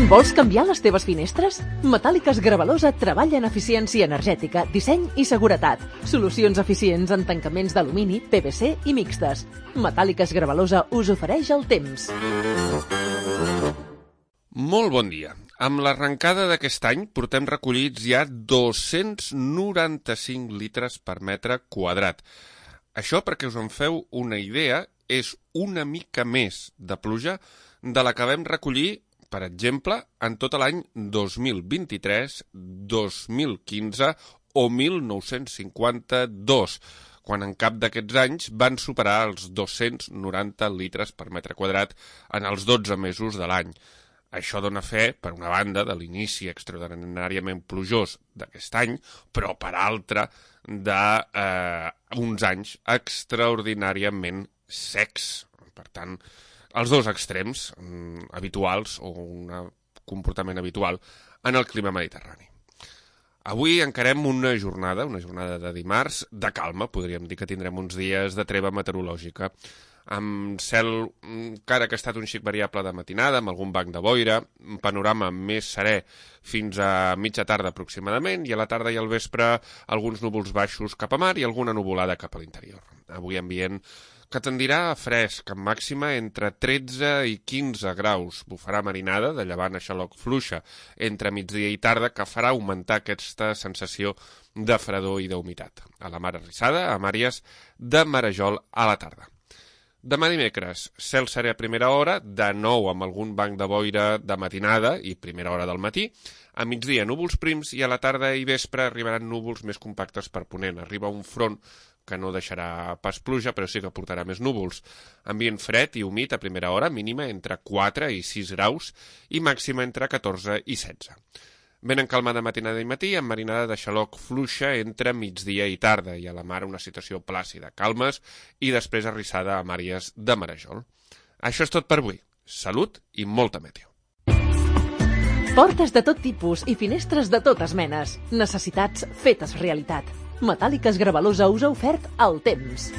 Vols canviar les teves finestres? Metàl·liques Gravalosa treballa en eficiència energètica, disseny i seguretat. Solucions eficients en tancaments d'alumini, PVC i mixtes. Metàl·liques Gravalosa us ofereix el temps. Molt bon dia. Amb l'arrencada d'aquest any portem recollits ja 295 litres per metre quadrat. Això, perquè us en feu una idea, és una mica més de pluja de la que vam recollir, per exemple, en tot l'any 2023, 2015 o 1952, quan en cap d'aquests anys van superar els 290 litres per metre quadrat en els 12 mesos de l'any. Això dona fe, per una banda, de l'inici extraordinàriament plujós d'aquest any, però per altra, d'uns anys extraordinàriament secs. Per tant, els dos extrems habituals o un comportament habitual en el clima mediterrani. Avui encarem una jornada de dimarts, de calma, podríem dir que tindrem uns dies de treva meteorològica, amb cel encara que ha estat un xic variable de matinada, amb algun banc de boira, un panorama més serè fins a mitja tarda aproximadament, i a la tarda i al vespre alguns núvols baixos cap a mar i alguna nuvolada cap a l'interior. Avui ambient que tendirà a fresc, amb màxima entre 13 i 15 graus. Bufarà marinada, de llevant a xaloc fluixa, entre migdia i tarda, que farà augmentar aquesta sensació de fredor i d'humitat. A la mar arrissada, amb àrees de marejol a la tarda. Demà dimecres, cel serè a primera hora, de nou amb algun banc de boira de matinada i primera hora del matí. A migdia, núvols prims, i a la tarda i vespre arribaran núvols més compactes per ponent. Arriba un front que no deixarà pas pluja, però sí que portarà més núvols. Ambient fred i humit a primera hora, mínima entre 4 i 6 graus i màxima entre 14 i 16. Vent en calma de matinada i matí, amb marinada de xaloc fluixa entre migdia i tarda, i a la mar una situació plàcida, calmes i després arrissada amb àrees de marejol. Això és tot per avui. Salut i molta meteo. Portes de tot tipus i finestres de totes menes. Necessitats fetes realitat. Metàl·liques Gravalosa us ha ofert el temps.